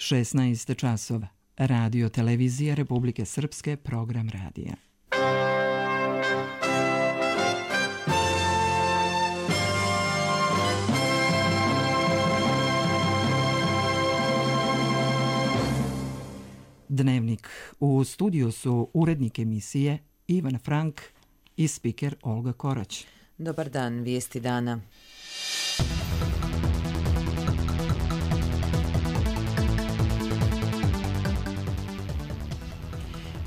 16 časova. Radio Televizija Republike Srpske, program radija. Dnevnik. U studiju su urednik emisije Ivan Frank i spiker Olga Korać. Dobar dan, vijesti dana.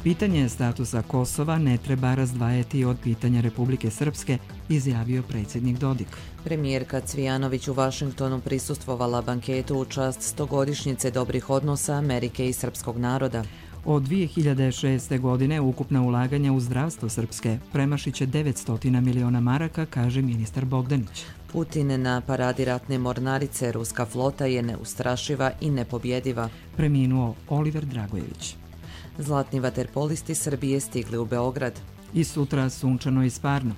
Pitanje statusa Kosova ne treba razdvajati od pitanja Republike Srpske, izjavio predsjednik Dodik. Premijerka Cvijanović u Vašingtonu prisustvovala banketu u čast 100-godišnjice dobrih odnosa Amerike i srpskog naroda. Od 2006. godine ukupna ulaganja u zdravstvo Srpske premašit će 900 miliona maraka, kaže ministar Bogdanić. Putin na paradi ratne mornarice, ruska flota je neustrašiva i nepobjediva. Preminuo Oliver Dragojević. Zlatni vaterpolisti Srbije stigli u Beograd. I sutra sunčano i sparno.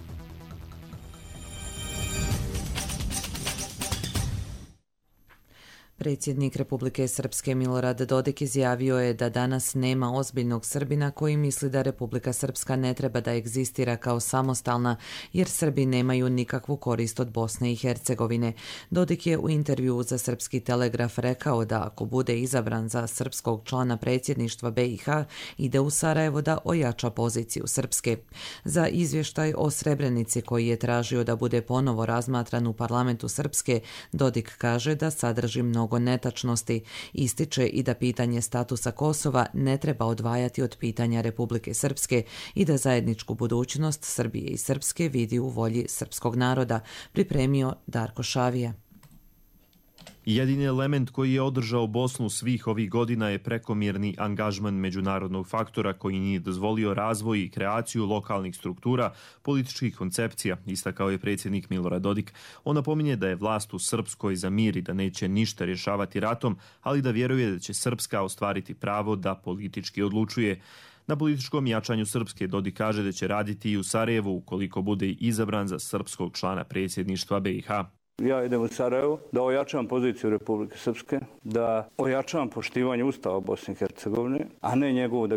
Predsjednik Republike Srpske Milorad Dodik izjavio je da danas nema ozbiljnog Srbina koji misli da Republika Srpska ne treba da egzistira kao samostalna, jer Srbi nemaju nikakvu korist od Bosne i Hercegovine. Dodik je u intervjuu za Srpski telegraf rekao da ako bude izabran za srpskog člana predsjedništva BiH, ide u Sarajevo da ojača poziciju Srpske. Za izvještaj o Srebrenici koji je tražio da bude ponovo razmatran u parlamentu Srpske, Dodik kaže da sadrži mnogo netačnosti. Ističe i da pitanje statusa Kosova ne treba odvajati od pitanja Republike Srpske i da zajedničku budućnost Srbije i Srpske vidi u volji srpskog naroda, pripremio Darko Šavija. Jedini element koji je održao Bosnu svih ovih godina je prekomjerni angažman međunarodnog faktora koji nije dozvolio razvoj i kreaciju lokalnih struktura, političkih koncepcija, istakao je predsjednik Milorad Dodik. On napominje da je vlast u Srpskoj za mir i da neće ništa rješavati ratom, ali da vjeruje da će Srpska ostvariti pravo da politički odlučuje. Na političkom jačanju Srpske Dodik kaže da će raditi i u Sarajevu ukoliko bude izabran za srpskog člana predsjedništva BiH. Ja idem u Sarajevo da ojačam poziciju Republike Srpske, da ojačam poštivanje Ustava Bosne i Hercegovine, a ne njegovu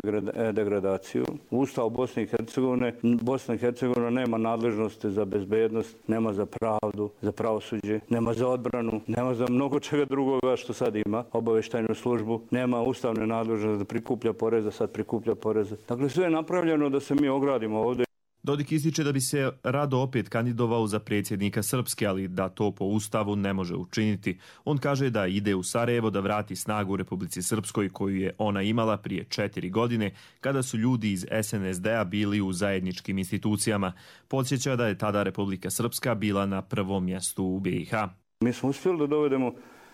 degradaciju. U Ustavu Bosne i Hercegovine, Bosna i Hercegovina nema nadležnosti za bezbednost, nema za pravdu, za pravosuđe, nema za odbranu, nema za mnogo čega drugoga što sad ima, obavještajnu službu, nema ustavne nadležnosti da prikuplja poreze, sad prikuplja poreze. Dakle, sve je napravljeno da se mi ogradimo ovdje. Dodik ističe da bi se rado opet kandidovao za predsjednika Srpske, ali da to po Ustavu ne može učiniti. On kaže da ide u Sarajevo da vrati snagu Republici Srpskoj koju je ona imala prije 4 godine kada su ljudi iz SNSD-a bili u zajedničkim institucijama. Podsjeća da je tada Republika Srpska bila na prvom mjestu u BiH. Mi smo uspjeli da dovedemo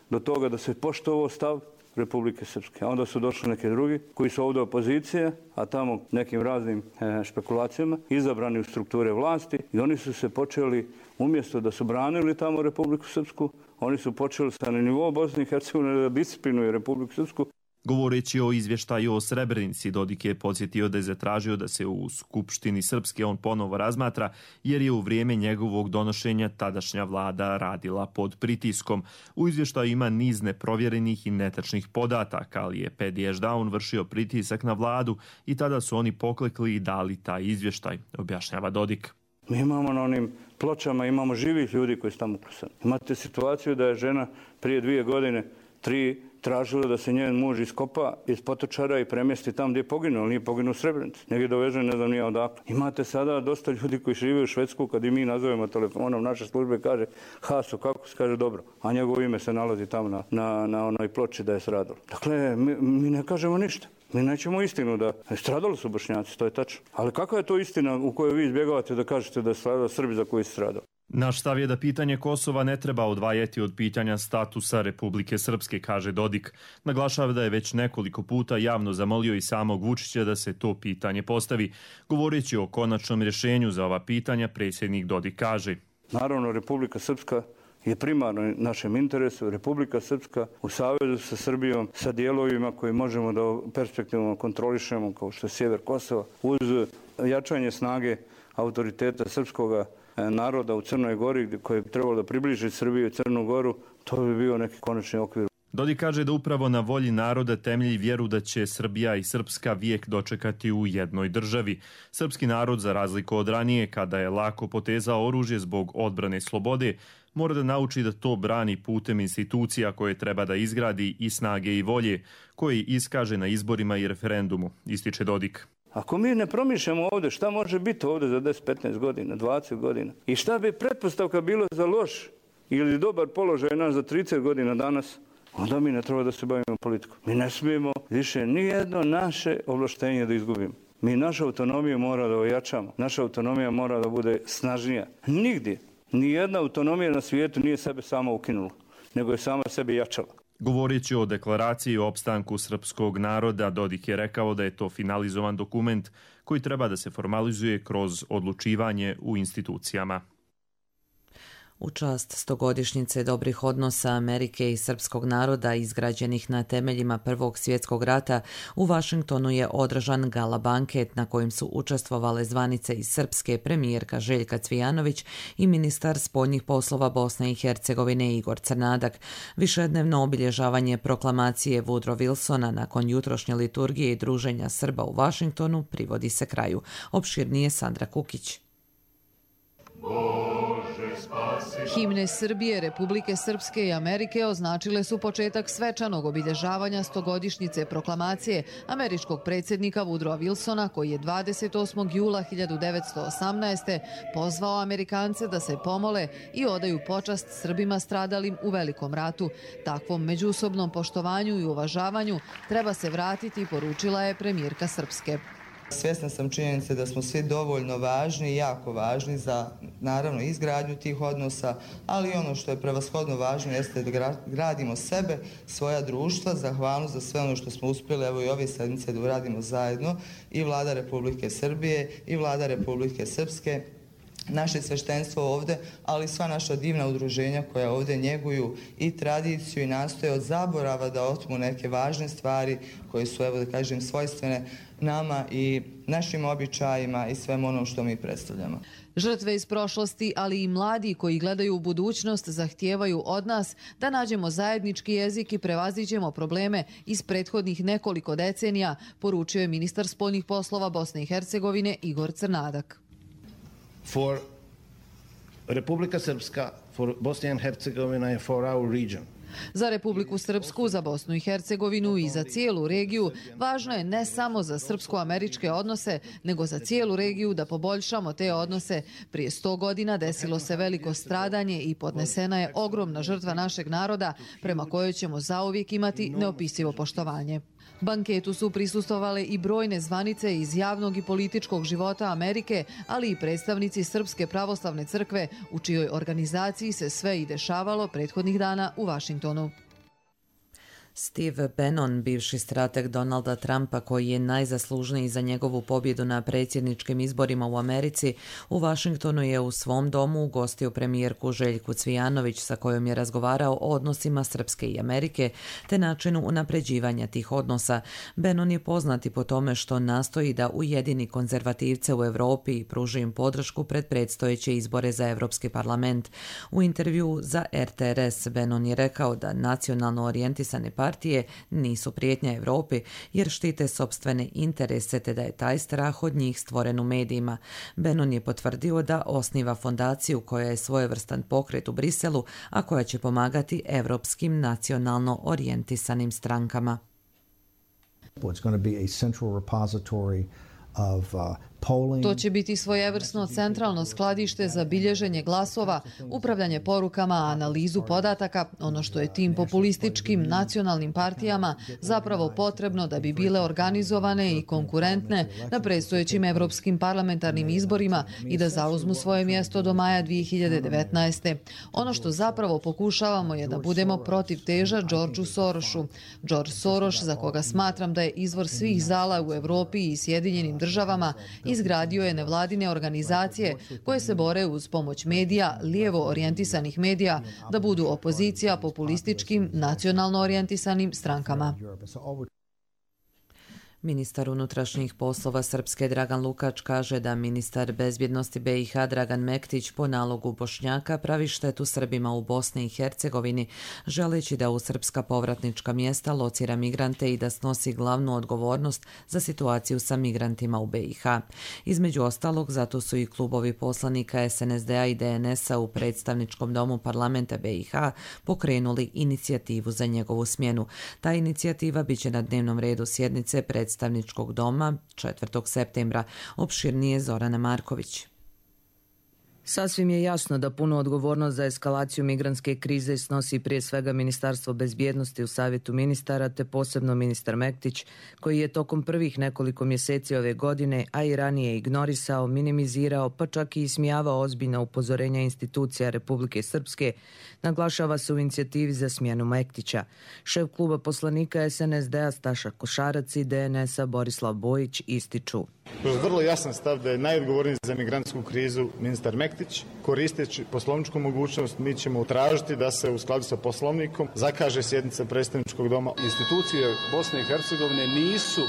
do toga da se poštovao stav Republike Srpske. Onda su došli neki drugi koji su ovdje opozicije, a tamo nekim raznim špekulacijama izabrani u strukture vlasti i oni su se počeli, umjesto da su branili tamo Republiku Srpsku, oni su počeli sa nivou Bosne i Hercegovine da disciplinuju Republiku Srpsku. Govoreći o izvještaju o Srebrenici, Dodik je podsjetio da je zatražio da se u Skupštini Srpske on ponovo razmatra, jer je u vrijeme njegovog donošenja tadašnja vlada radila pod pritiskom. U izvještaju ima niz neprovjerenih i netačnih podataka, ali je Pedi Ešdaun vršio pritisak na vladu i tada su oni poklekli i dali taj izvještaj, objašnjava Dodik. Mi imamo na onim pločama, imamo živih ljudi koji su tamo uklesani. Imate situaciju da je žena prije 2 godine, 3, tražila da se njen muž iskopa iz potočara i premjesti tamo gdje je poginuo, ali nije poginuo u Srebrenici. Negdje dovežen, ne znam nije odakle. Imate sada dosta ljudi koji žive u Švedsku, kad i mi nazovemo telefonom naše službe, kaže Haso, kako se kaže dobro, a njegovo ime se nalazi tamo na onoj ploči da je stradalo. Dakle, mi ne kažemo ništa. Mi nećemo istinu da stradali su Bošnjaci, to je tačno. Ali kakva je to istina u kojoj vi izbjegavate da kažete da je stradao Srbi za koji su stradali? Naš stav je da pitanje Kosova ne treba odvajati od pitanja statusa Republike Srpske, kaže Dodik. Naglašava da je već nekoliko puta javno zamolio i samog Vučića da se to pitanje postavi. Govoreći o konačnom rješenju za ova pitanja, predsjednik Dodik kaže: Naravno, Republika Srpska je primarno našem interesu. Republika Srpska u savezu sa Srbijom, sa dijelovima koji možemo da perspektivno kontrolišemo, kao što je sjever Kosova, uz jačanje snage autoriteta srpskoga naroda u Crnoj Gori, koje bi trebalo da približi Srbiju i Crnu Goru, to bi bio neki konačni okvir. Dodik kaže da upravo na volji naroda temelji vjeru da će Srbija i Srpska vijek dočekati u jednoj državi. Srpski narod, za razliku od ranije, kada je lako potezao oružje zbog odbrane slobode, mora da nauči da to brani putem institucija koje treba da izgradi i snage i volje, koje iskaže na izborima i referendumu, ističe Dodik. Ako mi ne promišljamo ovdje šta može biti ovdje za 10, 15 godina, 20 godina i šta bi pretpostavka bilo za loš ili dobar položaj naš za 30 godina danas, onda mi ne treba da se bavimo politikom. Mi ne smijemo više nijedno naše ovlaštenje da izgubimo. Mi našu autonomiju mora da ojačamo. Naša autonomija mora da bude snažnija. Nigdje, nijedna autonomija na svijetu nije sebe sama ukinula, nego je sama sebe jačala. Govoreći o deklaraciji o opstanku srpskog naroda, Dodik je rekao da je to finalizovan dokument koji treba da se formalizuje kroz odlučivanje u institucijama. U čast 100-godišnjice dobrih odnosa Amerike i srpskog naroda izgrađenih na temeljima Prvog svjetskog rata, u Vašingtonu je održan gala banket na kojem su učestvovale zvanice iz Srpske, premijerka Željka Cvijanović i ministar spoljnih poslova Bosne i Hercegovine Igor Crnadak. Višednevno obilježavanje proklamacije Woodrow Wilsona nakon jutrošnje liturgije i druženja Srba u Vašingtonu privodi se kraju. Opširnije Sandra Kukić. Himne Srbije, Republike Srpske i Amerike označile su početak svečanog obilježavanja 100-godišnjice proklamacije američkog predsjednika Woodrowa Wilsona, koji je 28. jula 1918. pozvao Amerikance da se pomole i odaju počast Srbima stradalim u Velikom ratu. Takvom međusobnom poštovanju i uvažavanju treba se vratiti, poručila je premijerka Srpske. Svjesna sam činjenice da smo svi dovoljno važni i jako važni za, naravno, izgradnju tih odnosa, ali ono što je prevashodno važno jeste da gradimo sebe, svoja društva, zahvalnost za sve ono što smo uspjeli, evo i ove sedmice da uradimo zajedno, i Vlada Republike Srbije i Vlada Republike Srpske, naše sveštenstvo ovdje, ali sva naša divna udruženja koja ovdje njeguju i tradiciju i nastoje od zaborava da otmu neke važne stvari koje su, evo da kažem, svojstvene nama i našim običajima i svemu onom što mi predstavljamo. Žrtve iz prošlosti, ali i mladi koji gledaju u budućnost, zahtijevaju od nas da nađemo zajednički jezik i prevaziđemo probleme iz prethodnih nekoliko decenija, poručio je ministar spoljnih poslova Bosne i Hercegovine Igor Crnadak. For Republika Srpska, for Bosnia and Herzegovina and for our region. Za Republiku Srpsku, za Bosnu i Hercegovinu i za cijelu regiju važno je ne samo za srpsko-američke odnose, nego za cijelu regiju da poboljšamo te odnose. Prije 100 godina desilo se veliko stradanje i podnesena je ogromna žrtva našeg naroda, prema kojoj ćemo zauvijek imati neopisivo poštovanje. Banketu su prisustvovale i brojne zvanice iz javnog i političkog života Amerike, ali i predstavnici Srpske pravoslavne crkve, u čijoj organizaciji se sve i dešavalo prethodnih dana u Vašingtonu. Steve Bannon, bivši strateg Donalda Trumpa, koji je najzaslužniji za njegovu pobjedu na predsjedničkim izborima u Americi, u Vašingtonu je u svom domu ugostio premijerku Željku Cvijanović, sa kojom je razgovarao o odnosima Srpske i Amerike te načinu unapređivanja tih odnosa. Bannon je poznati po tome što nastoji da ujedini konzervativce u Europi i pruži im podršku pred predstojeće izbore za Europski parlament. U intervju za RTRS Bannon je rekao da nacionalno orijentisane partije nisu prijetnja Europi jer štite sopstvene interese te da je taj strah od njih stvoren u medijima. Bannon je potvrdio da osniva fondaciju koja je svojevrstan pokret u Briselu, a koja će pomagati evropskim nacionalno orijentisanim strankama. It's going to be a central repository of To će biti svojevrsno centralno skladište za bilježenje glasova, upravljanje porukama, analizu podataka, ono što je tim populističkim nacionalnim partijama zapravo potrebno da bi bile organizovane i konkurentne na predstojećim evropskim parlamentarnim izborima i da zauzmu svoje mjesto do maja 2019. Ono što zapravo pokušavamo je da budemo protiv teža Georgeu Sorosu. George Soros, za koga smatram da je izvor svih zala u Evropi i Sjedinjenim državama, izgradio je nevladine organizacije koje se bore uz pomoć medija, lijevo orijentisanih medija, da budu opozicija populističkim, nacionalno orijentisanim strankama. Ministar unutrašnjih poslova Srpske Dragan Lukač kaže da ministar bezbjednosti BiH Dragan Mektić po nalogu Bošnjaka pravi štetu Srbima u Bosni i Hercegovini, želeći da u srpska povratnička mjesta locira migrante i da snosi glavnu odgovornost za situaciju sa migrantima u BiH. Između ostalog, zato su i klubovi poslanika SNSD-a i DNS-a u predstavničkom domu parlamenta BiH pokrenuli inicijativu za njegovu smjenu. Ta inicijativa biće na dnevnom redu sjednice predstavničkog doma 4. septembra. Opširnije Zorana Marković. Sasvim je jasno da punu odgovornost za eskalaciju migrantske krize snosi prije svega Ministarstvo bezbjednosti u Savjetu ministara, te posebno ministar Mektić, koji je tokom prvih nekoliko mjeseci ove godine, a i ranije ignorisao, minimizirao, pa čak i ismijavao ozbiljna upozorenja institucija Republike Srpske, naglašava se u inicijativi za smjenu Mektića. Šef kluba poslanika SNSD-a Staša Košarac i DNS-a Borislav Bojić ističu. Vrlo jasan stav da je najodgovorniji za migrantsku krizu ministar Mektić. Koristeći poslovničku mogućnost, mi ćemo tražiti da se u skladu sa poslovnikom zakaže sjednica predstavničkog doma. Institucije Bosne i Hercegovine nisu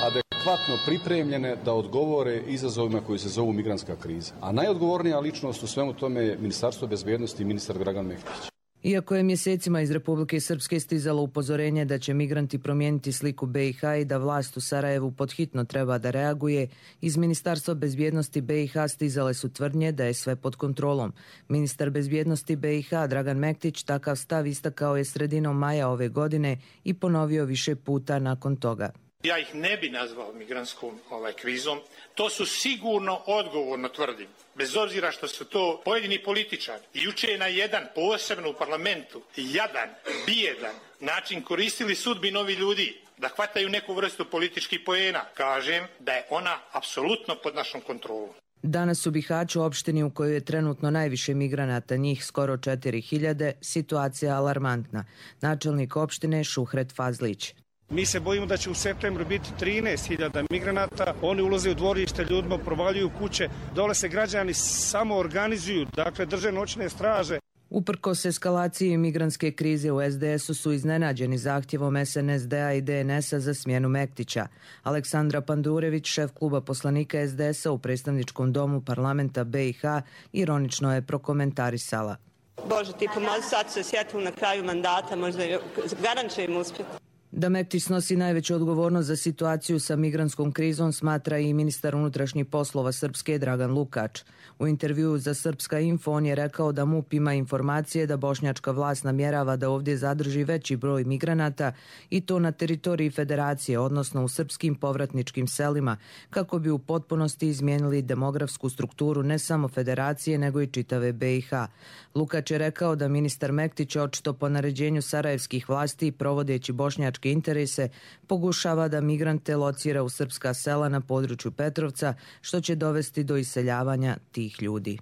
adekvatno pripremljene da odgovore izazovima koji se zovu migrantska kriza. A najodgovornija ličnost u svemu tome je Ministarstvo bezbjednosti i ministar Dragan Mektić. Iako je mjesecima iz Republike Srpske stizalo upozorenje da će migranti promijeniti sliku BiH i da vlast u Sarajevu podhitno treba da reaguje, iz Ministarstva bezbjednosti BiH stizale su tvrdnje da je sve pod kontrolom. Ministar bezbjednosti BiH Dragan Mektić takav stav istakao je sredinom maja ove godine i ponovio više puta nakon toga. Ja ih ne bi nazvao migrantskom krizom, to su sigurno, odgovorno tvrdim, bez obzira što su to pojedini političari. Juče je na jedan, posebno u parlamentu, jadan, bijedan način koristili sudbinu ovih ljudi da hvataju neku vrstu političkih poena. Kažem da je ona apsolutno pod našom kontrolom. Danas u Bihaću, opštini u kojoj je trenutno najviše migranata, njih skoro 4000, situacija alarmantna. Načelnik opštine Šuhret Fazlić. Mi se bojimo da će u septembru biti 13.000 migranata. Oni ulaze u dvorište, ljudima provaljuju kuće. Dole se građani samo organizuju, dakle drže noćne straže. Uprkos eskalaciji migrantske krize u SDS-u su iznenađeni zahtjevom SNSD-a i DNS-a za smjenu Mektića. Aleksandra Pandurević, šef kluba poslanika SDS-a u predstavničkom domu parlamenta BiH, ironično je prokomentarisala. Bože, ti pomozi, sad se sjetimo na kraju mandata, možda garant će im uspjeti. Da Mektić snosi najveću odgovornost za situaciju sa migrantskom krizom smatra i ministar unutrašnjih poslova Srpske Dragan Lukač. U intervjuu za Srpska info on je rekao da MUP ima informacije da bošnjačka vlast namjerava da ovdje zadrži veći broj migranata i to na teritoriji federacije, odnosno u srpskim povratničkim selima, kako bi u potpunosti izmijenili demografsku strukturu ne samo federacije nego i čitave BiH. Lukač je rekao da ministar Mektić očito po naređenju sarajevskih vlasti provodeći bošnjačke interese pokušava da migrante locira u srpska sela na području Petrovca, što će dovesti do iseljavanja tih ljudi.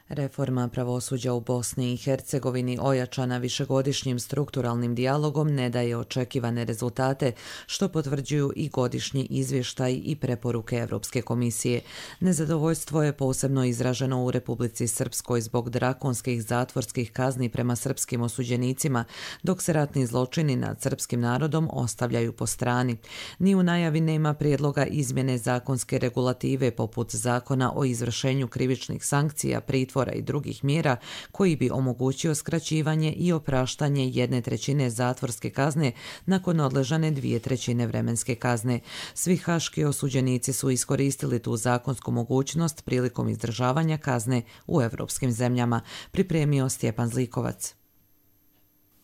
Reforma pravosuđa u Bosni i Hercegovini, ojačana višegodišnjim strukturalnim dijalogom, ne daje očekivane rezultate, što potvrđuju i godišnji izvještaj i preporuke Evropske komisije. Nezadovoljstvo je posebno izraženo u Republici Srpskoj zbog drakonskih zatvorskih kazni prema srpskim osuđenicima, dok se ratni zločini nad srpskim narodom ostavljaju po strani. Ni u najavi nema prijedloga izmjene zakonske regulative poput Zakona o izvršenju krivičnih sankcija, pritvora i drugih mjera koji bi omogućio skraćivanje i opraštanje 1/3 zatvorske kazne nakon odležane 2/3 vremenske kazne. Svi haški osuđenici su iskoristili tu zakonsku mogućnost prilikom izdržavanja kazne u evropskim zemljama, pripremio Stjepan Zlikovac.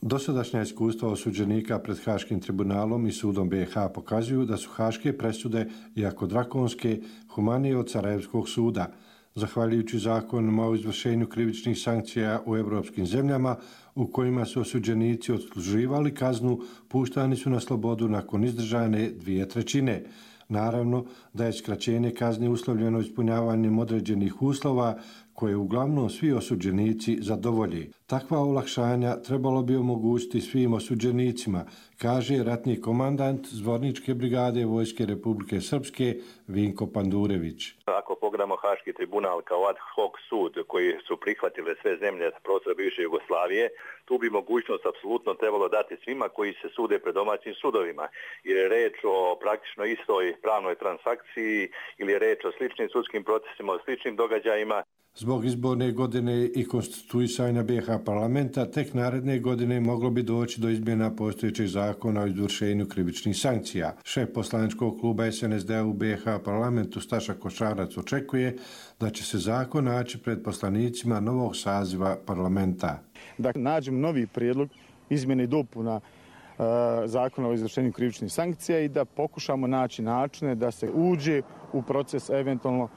Dosadašnja iskustva osuđenika pred Haškim tribunalom i sudom BiH pokazuju da su haške presude, iako drakonske, humanije od Sarajevskog suda. Zahvaljujući zakonima o izvršenju krivičnih sankcija u evropskim zemljama, u kojima su osuđenici odsluživali kaznu, puštani su na slobodu nakon izdržane 2/3. Naravno da je skraćenje kazne uslovljeno ispunjavanjem određenih uslova koje uglavnom svi osuđenici zadovolji. Takva olakšanja trebalo bi omogućiti svim osuđenicima, kaže ratni komandant Zvorničke brigade Vojske Republike Srpske Vinko Pandurević. Ako pogledamo Haški tribunal kao ad hoc sud koji su prihvatile sve zemlje s prostora bivše Jugoslavije, tu bi mogućnost apsolutno trebalo dati svima koji se sude pred domaćim sudovima. Jer je reč o praktično istoj pravnoj transakciji ili je reč o sličnim sudskim procesima, o sličnim događajima. Zbog izborne godine i konstituisanja BiH parlamenta, tek naredne godine moglo bi doći do izmjena postojećeg zakona o izvršenju krivičnih sankcija. Šef poslaničkog kluba SNSD u BiH parlamentu Staša Košarac očekuje da će se zakon naći pred poslanicima novog saziva parlamenta. Da nađemo novi prijedlog izmjene i dopuna zakona o izvršenju krivičnih sankcija i da pokušamo naći načine da se uđe u proces eventualno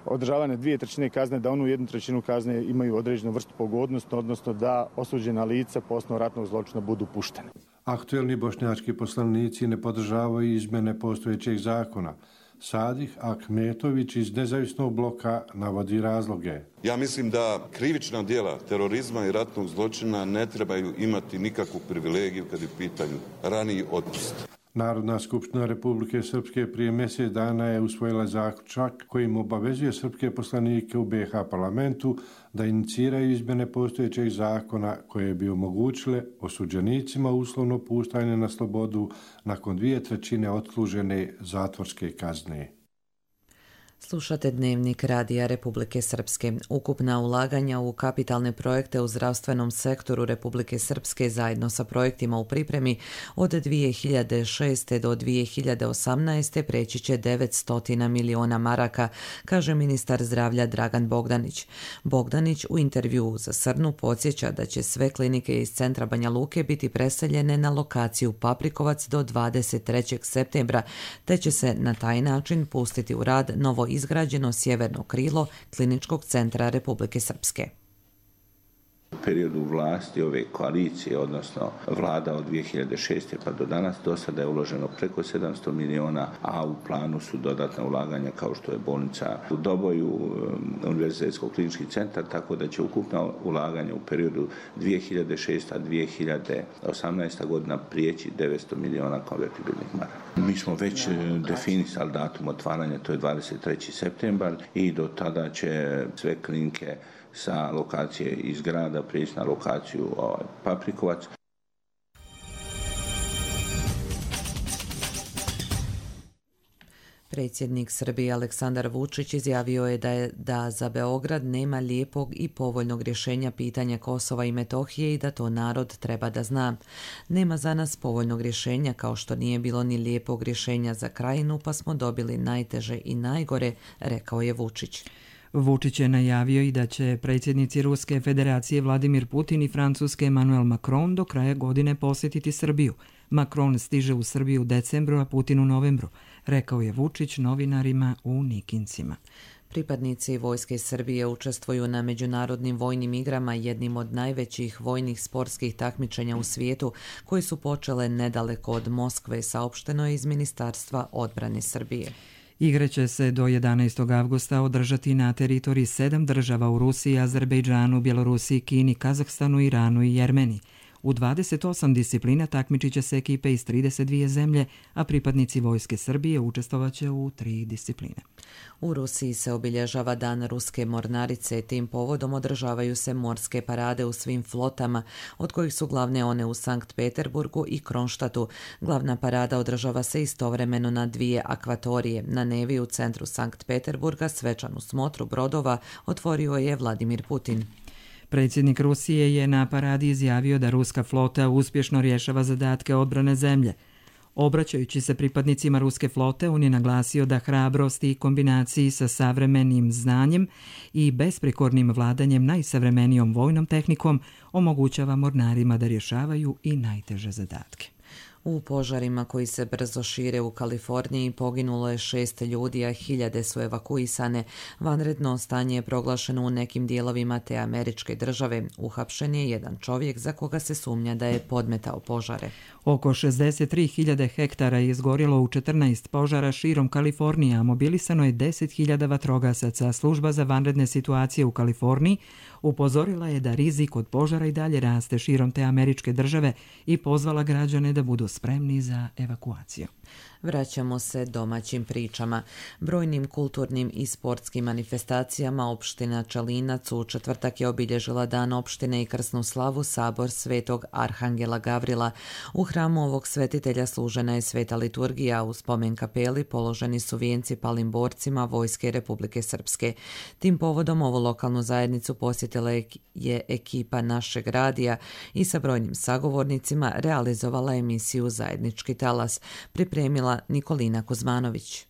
održavane 2/3 kazne, da onu 1/3 kazne imaju određenu vrstu pogodnosti, odnosno da osuđena lica po osnovu ratnog zločina budu puštene. Aktuelni bošnjački poslanici ne podržavaju izmjene postojećeg zakona. Sadih Ahmetović iz Nezavisnog bloka navodi razloge. Ja mislim da krivična djela terorizma i ratnog zločina ne trebaju imati nikakvu privilegiju kad je u pitanju raniji otpust. Narodna skupština Republike Srpske prije mjesec dana je usvojila zaključak kojim obavezuje srpske poslanike u BiH parlamentu da iniciraju izmjene postojećeg zakona koje bi omogućile osuđenicima uslovno puštanje na slobodu nakon 2/3 odslužene zatvorske kazne. Slušate Dnevnik Radija Republike Srpske. Ukupna ulaganja u kapitalne projekte u zdravstvenom sektoru Republike Srpske zajedno sa projektima u pripremi od 2006. do 2018. preći će 900 miliona maraka, kaže ministar zdravlja Dragan Bogdanić. Bogdanić u intervjuu za Srnu podsjeća da će sve klinike iz centra Banja Luke biti preseljene na lokaciju Paprikovac do 23. septembra, te će se na taj način pustiti u rad novo izgrađeno sjeverno krilo Kliničkog centra Republike Srpske. U periodu vlasti ove koalicije, odnosno vlada od 2006. pa do danas, do sada je uloženo preko 700 miliona, a u planu su dodatna ulaganja kao što je bolnica u Doboju, Univerzitetsko-klinički centar, tako da će ukupna ulaganja u periodu 2006-2018. godina prijeći 900 miliona konvertibilnih maraka. Mi smo već definisali datum otvaranja, to je 23. septembar i do tada će sve klinike sa lokacije iz grada prijeći na lokaciju Paprikovac. Predsjednik Srbije Aleksandar Vučić izjavio je da za Beograd nema lijepog i povoljnog rješenja pitanja Kosova i Metohije i da to narod treba da zna. Nema za nas povoljnog rješenja kao što nije bilo ni lijepog rješenja za Krajinu, pa smo dobili najteže i najgore, rekao je Vučić. Vučić je najavio i da će predsjednici Ruske federacije Vladimir Putin i Francuske Emmanuel Macron do kraja godine posjetiti Srbiju. Macron stiže u Srbiju u decembru, a Putin u novembru, rekao je Vučić novinarima u Nikincima. Pripadnici Vojske Srbije učestvuju na međunarodnim vojnim igrama, jednim od najvećih vojnih sportskih takmičenja u svijetu, koji su počele nedaleko od Moskve, saopšteno je iz Ministarstva odbrane Srbije. Igre će se do 11. avgusta održati na teritoriji 7 država u Rusiji, Azerbejdžanu, Bjelorusiji, Kini, Kazahstanu, Iranu i Jermeniji. U 28 disciplina takmičit će se ekipe iz 32 zemlje, a pripadnici Vojske Srbije učestvovaće u 3 discipline. U Rusiji se obilježava Dan ruske mornarice. Tim povodom održavaju se morske parade u svim flotama, od kojih su glavne one u Sankt Peterburgu i Kronštatu. Glavna parada održava se istovremeno na 2 akvatorije. Na Nevi u centru Sankt Peterburga svečanu smotru brodova otvorio je Vladimir Putin. Predsjednik Rusije je na paradi izjavio da ruska flota uspješno rješava zadatke odbrane zemlje. Obraćajući se pripadnicima ruske flote, on je naglasio da hrabrost i kombinaciji sa savremenim znanjem i besprekornim vladanjem najsavremenijom vojnom tehnikom omogućava mornarima da rješavaju i najteže zadatke. U požarima koji se brzo šire u Kaliforniji poginulo je 6 ljudi, a hiljade su evakuisane. Vanredno stanje je proglašeno u nekim dijelovima te američke države. Uhapšen je jedan čovjek za koga se sumnja da je podmetao požare. Oko 63.000 hektara je izgorjelo u 14 požara širom Kalifornije, a mobilisano je 10.000 vatrogasaca. Služba za vanredne situacije u Kaliforniji upozorila je da rizik od požara i dalje raste širom te američke države i pozvala građane da budu spremni za evakuaciju. Vraćamo se domaćim pričama. Brojnim kulturnim i sportskim manifestacijama opština Čelinac u četvrtak je obilježila Dan opštine i krsnu slavu Sabor Svetog Arhangela Gavrila. U hramu ovog svetitelja služena je sveta liturgija, u spomen kapeli položeni su vijenci palim borcima Vojske Republike Srpske. Tim povodom ovu lokalnu zajednicu posjetila je ekipa našeg radija i sa brojnim sagovornicima realizovala emisiju Zajednički talas. Pripremila Nikolina Kuzmanović.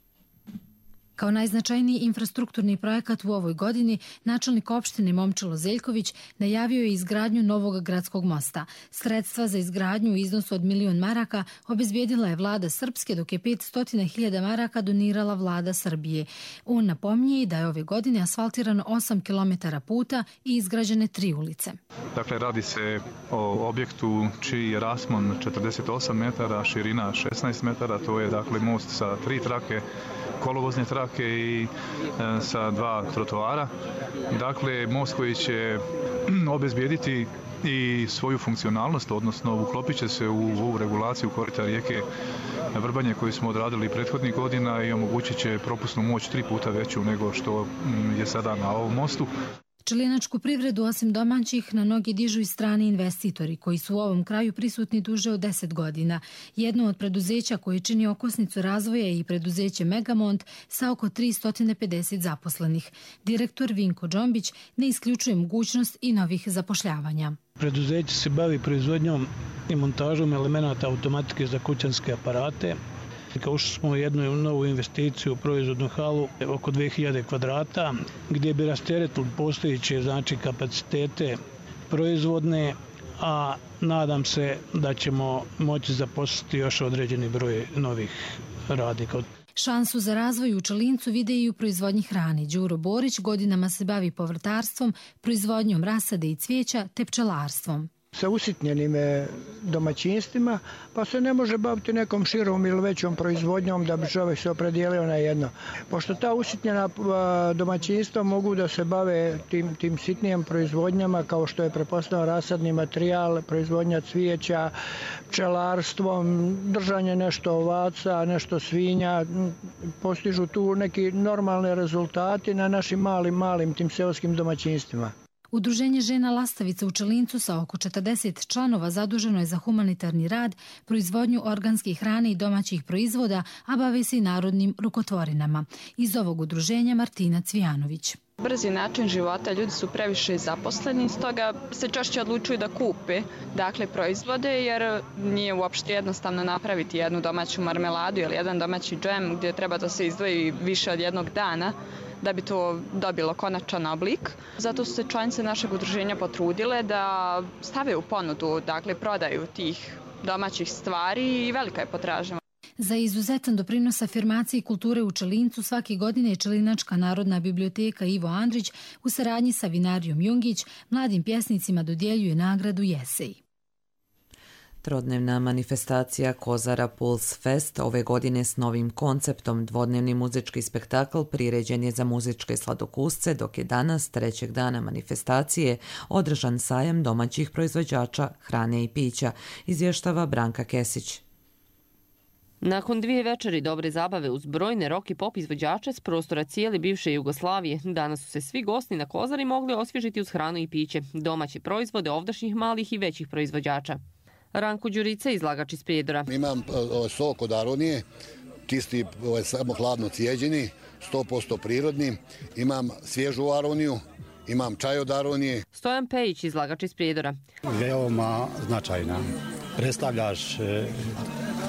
Kao najznačajniji infrastrukturni projekat u ovoj godini, načelnik opštine Momčilo Zeljković najavio je izgradnju novog gradskog mosta. Sredstva za izgradnju u iznosu od 1.000.000 maraka obezbijedila je vlada Srpske, dok je 500.000 maraka donirala vlada Srbije. On napominje da je ove godine asfaltirano 8 km puta i izgrađene 3 ulice. Dakle, radi se o objektu čiji je raspon 48 metara, širina 16 metara, to je dakle most sa 3 trake, kolovozne trake i sa 2 trotoara. Dakle, most koji će obezbijediti i svoju funkcionalnost, odnosno uklopit će se u ovu regulaciju korita rijeke Vrbanje koju smo odradili prethodnih godina i omogućit će propusnu moć 3 puta veću nego što je sada na ovom mostu. Čelinačku privredu osim domaćih na noge dižu i strani investitori koji su u ovom kraju prisutni duže od 10 godina. Jedno od preduzeća koje čini okosnicu razvoja je i preduzeće Megamont sa oko 350 zaposlenih. Direktor Vinko Džombić ne isključuje mogućnost i novih zapošljavanja. Preduzeće se bavi proizvodnjom i montažom elemenata automatike za kućanske aparate. Ušli smo u jednu novu investiciju u proizvodnu halu oko 2000 kvadrata gdje bi rasteretili postojeće kapacitete proizvodne, a nadam se da ćemo moći zaposliti još određeni broj novih radnika. Šansu za razvoj u Čelincu vide i u proizvodnji hrane. Đuro Borić godinama se bavi povrtarstvom, proizvodnjom rasade i cvijeća te pčelarstvom. Sa usitnjenim domaćinstvima, pa se ne može baviti nekom širom ili većom proizvodnjom da bi čovjek se opredijelio na jedno. Pošto ta usitnjena domaćinstva mogu da se bave tim sitnijim proizvodnjama kao što je pretpostavljeno rasadni materijal, proizvodnja cvijeća, pčelarstvom, držanje nešto ovaca, nešto svinja, postižu tu neki normalni rezultati na našim malim tim seoskim domaćinstvima. Udruženje žena Lastavica u Čelincu sa oko 40 članova zaduženo je za humanitarni rad, proizvodnju organske hrane i domaćih proizvoda, a bave se i narodnim rukotvorinama. Iz ovog udruženja Martina Cvijanović. Brzi način života, ljudi su previše zaposleni, stoga se češće odlučuju da kupe proizvode, jer nije uopšte jednostavno napraviti jednu domaću marmeladu ili jedan domaći džem gdje treba da se izdvoji više od jednog dana da bi to dobilo konačan oblik. Zato su se članice našeg udruženja potrudile da stave u ponudu, prodaju tih domaćih stvari i velika je potražnja. Za izuzetan doprinos afirmaciji kulture u Čelincu svake godine je Čelinačka narodna biblioteka Ivo Andrić u saradnji sa vinarijom Jungić mladim pjesnicima dodjeljuje nagradu Jesej. Trodnevna manifestacija Kozara Puls Fest ove godine s novim konceptom. Dvodnevni muzički spektakl priređen je za muzičke sladokusce, dok je danas, trećeg dana manifestacije, održan sajam domaćih proizvođača hrane i pića, izvještava Branka Kesić. Nakon 2 večeri dobre zabave uz brojne rock i pop izvođače s prostora cijele bivše Jugoslavije, danas su se svi gosti na Kozari mogli osvježiti uz hranu i piće, domaće proizvode ovdašnjih malih i većih proizvođača. Ranko Đurica, izlagač iz Prijedora. Imam sok od aronije, čisti samo hladno cijeđeni, 100% prirodni. Imam svježu aroniju, imam čaj od aronije. Stojan Pejić, izlagač iz Prijedora. Veoma značajna. Predstavljaš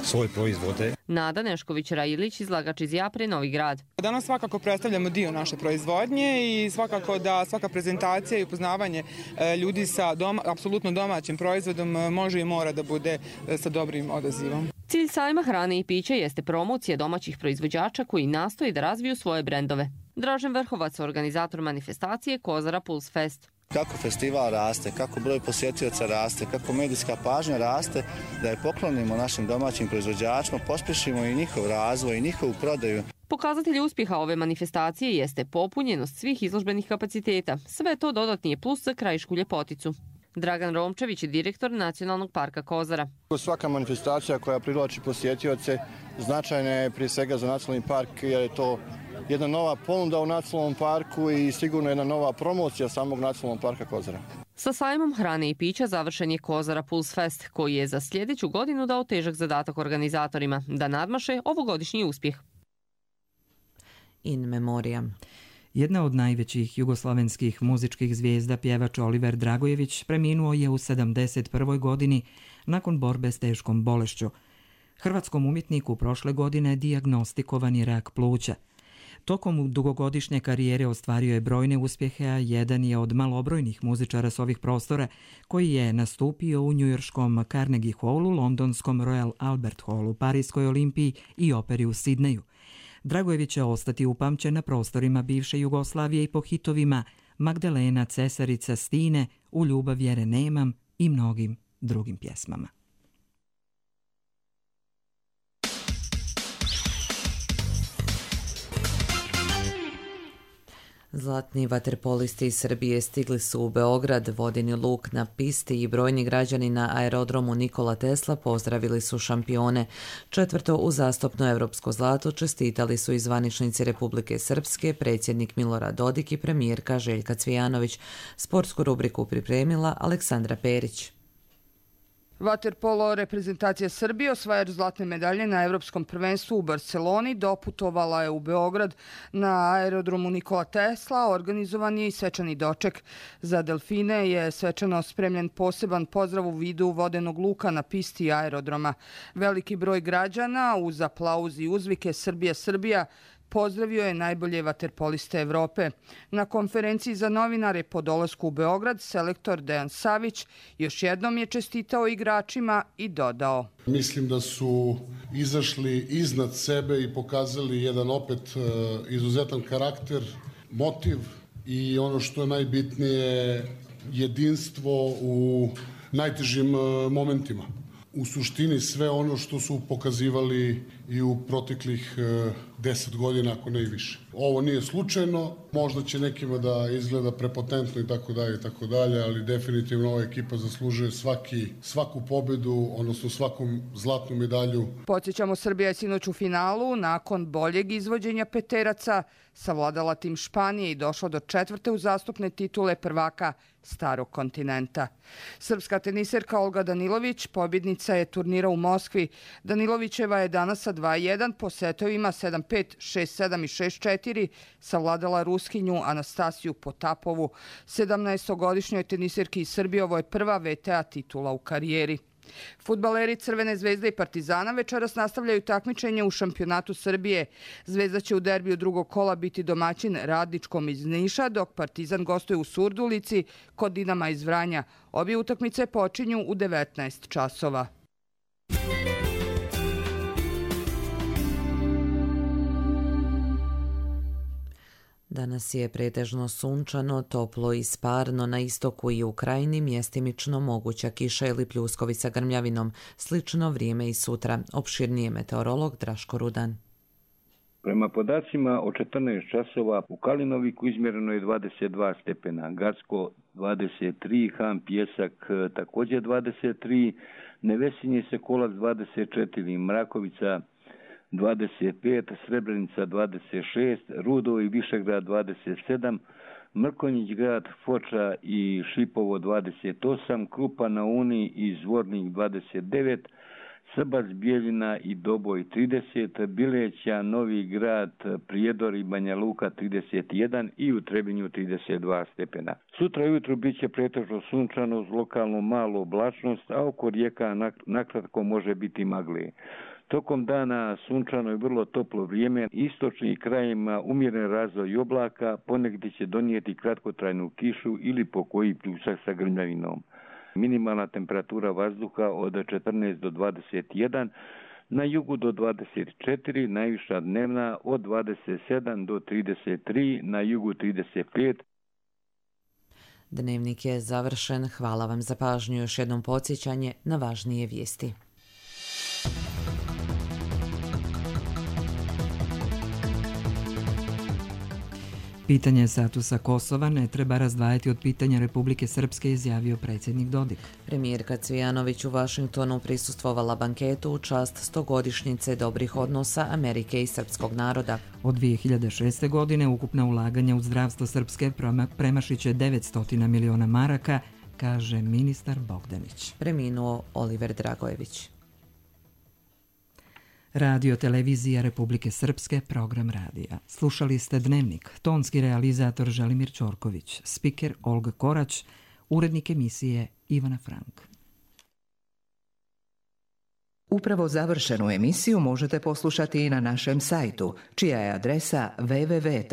svoje proizvode. Nada Nešković-Rajilić, izlagač iz Japre, Novi Grad. Danas svakako predstavljamo dio naše proizvodnje i svakako da svaka prezentacija i upoznavanje ljudi sa apsolutno domaćim proizvodom može i mora da bude sa dobrim odazivom. Cilj sajma hrane i pića jeste promocija domaćih proizvođača koji nastoje da razviju svoje brendove. Dražen Vrhovac, organizator manifestacije Kozara Puls Fest. Kako festival raste, kako broj posjetioca raste, kako medijska pažnja raste, da je poklonimo našim domaćim proizvođačima, pospješimo i njihov razvoj i njihovu prodaju. Pokazatelj uspjeha ove manifestacije jeste popunjenost svih izložbenih kapaciteta. Sve to dodatni je plus za Krajišku ljepoticu. Dragan Romčević je direktor Nacionalnog parka Kozara. Svaka manifestacija koja privlači posjetioce značajna je prije svega za Nacionalni park jer je to jedna nova ponuda u Nacionalnom parku i sigurno jedna nova promocija samog Nacionalnog parka Kozara. Sa sajmom hrane i pića završen je Kozara Puls Fest, koji je za sljedeću godinu dao težak zadatak organizatorima da nadmaše ovogodišnji uspjeh. In memoriam. Jedna od najvećih jugoslavenskih muzičkih zvijezda, pjevač Oliver Dragojević, preminuo je u 71. godini nakon borbe s teškom bolešću. Hrvatskom umjetniku prošle godine dijagnostikovan je rak pluća. Tokom dugogodišnje karijere ostvario je brojne uspjehe, a jedan je od malobrojnih muzičara s ovih prostora koji je nastupio u njujorškom Carnegie Hallu, londonskom Royal Albert Hallu, Parijskoj Olimpiji i operi u Sidneju. Dragojević će ostati upamćen na prostorima bivše Jugoslavije i po hitovima Magdalena, Cesarica, Stine, U ljubav vjere nemam i mnogim drugim pjesmama. Zlatni vaterpolisti iz Srbije stigli su u Beograd, vodeni luk na pisti i brojni građani na aerodromu Nikola Tesla pozdravili su šampione. Četvrto uzastopno evropsko zlato čestitali su i zvaničnici Republike Srpske, predsjednik Milorad Dodik i premijerka Željka Cvijanović. Sportsku rubriku pripremila Aleksandra Perić. Vaterpolo reprezentacija Srbije, osvajač zlatne medalje na Evropskom prvenstvu u Barceloni, doputovala je u Beograd na aerodromu Nikola Tesla. Organizovan je i svečani doček. Za delfine je svečano spremljen poseban pozdrav u vidu vodenog luka na pisti aerodroma. Veliki broj građana uz aplauz i uzvike Srbija, Srbija pozdravio je najbolje vaterpoliste Evrope. Na konferenciji za novinare po dolasku u Beograd selektor Dejan Savić još jednom je čestitao igračima i dodao: Mislim da su izašli iznad sebe i pokazali jedan opet izuzetan karakter, motiv i ono što je najbitnije, jedinstvo u najtežim momentima. U suštini sve ono što su pokazivali i u proteklih 10 godina, ako ne i više. Ovo nije slučajno, možda će nekima da izgleda prepotentno i tako dalje, ali definitivno ova ekipa zaslužuje svaku pobedu, odnosno svaku zlatnu medalju. Podsjećamo, Srbija je sinoć u finalu nakon boljeg izvođenja peteraca savladala tim Španije i došla do četvrte uzastopne titule prvaka Starog kontinenta. Srpska teniserka Olga Danilović pobjednica je turnira u Moskvi. Danilovićeva je danas sa 2-1 po setovima 7-5, 6-7 i 6-4 savladala Ruskinju Anastasiju Potapovu. 17-godišnjoj teniserki iz Srbije ovo je prva VTA titula u karijeri. Fudbaleri Crvene zvezde i Partizana večeras nastavljaju takmičenje u šampionatu Srbije. Zvezda će u derbiju drugog kola biti domaćin Radničkom iz Niša, dok Partizan gostuje u Surdulici kod Dinama iz Vranja. Obje utakmice počinju u 19 časova. Danas je pretežno sunčano, toplo i sparno, na istoku i u krajini mjestimično moguća kiša ili pljuskovi sa grmljavinom. Slično vrijeme i sutra. Opširnije meteorolog Draško Rudan. Prema podacima o 14 časova u Kalinoviku izmjereno je 22 stepena, Gacko 23, Han Pjesak također 23, Nevesinje Sekolac 24, Mrakovica 25, Srebrenica 26, Rudo i Višegrad 27, Mrkonjić grad, Foča i Šipovo 28, Krupa na Uni i Zvornik 29, Srbac, Bijeljina i Doboj 30, Bileća, Novi grad, Prijedor i Banja Luka 31 i u Trebinju 32 stepena. Sutra ujutru bit će pretežno sunčano uz lokalnu malu oblačnost, a oko rijeka nakratko može biti magle. Tokom dana sunčano je vrlo toplo vrijeme, istočnim krajima umjeren razvoj oblaka, ponegdje će donijeti kratkotrajnu kišu ili pokoji pljusak sa grmljavinom. Minimalna temperatura vazduha od 14 do 21, na jugu do 24, najviša dnevna od 27 do 33, na jugu 35. Dnevnik je završen. Hvala vam za pažnju. Još jednom podsjećanje na važnije vijesti. Pitanje statusa Kosova ne treba razdvajati od pitanja Republike Srpske, izjavio predsjednik Dodik. Premijerka Cvijanović u Vašingtonu prisustvovala banketu u čast 100-godišnjice dobrih odnosa Amerike i srpskog naroda. Od 2006. godine ukupna ulaganja u zdravstvo Srpske premašit će 900 miliona maraka, kaže ministar Bogdanić. Preminuo Oliver Dragojević. Radio Televizija Republike Srpske, program radija. Slušali ste Dnevnik, tonski realizator Želimir Ćorković, spiker Olga Korać, urednik emisije Ivana Frank. Upravo završenu emisiju možete poslušati i na našem sajtu, čija je adresa www.rtrs.tv.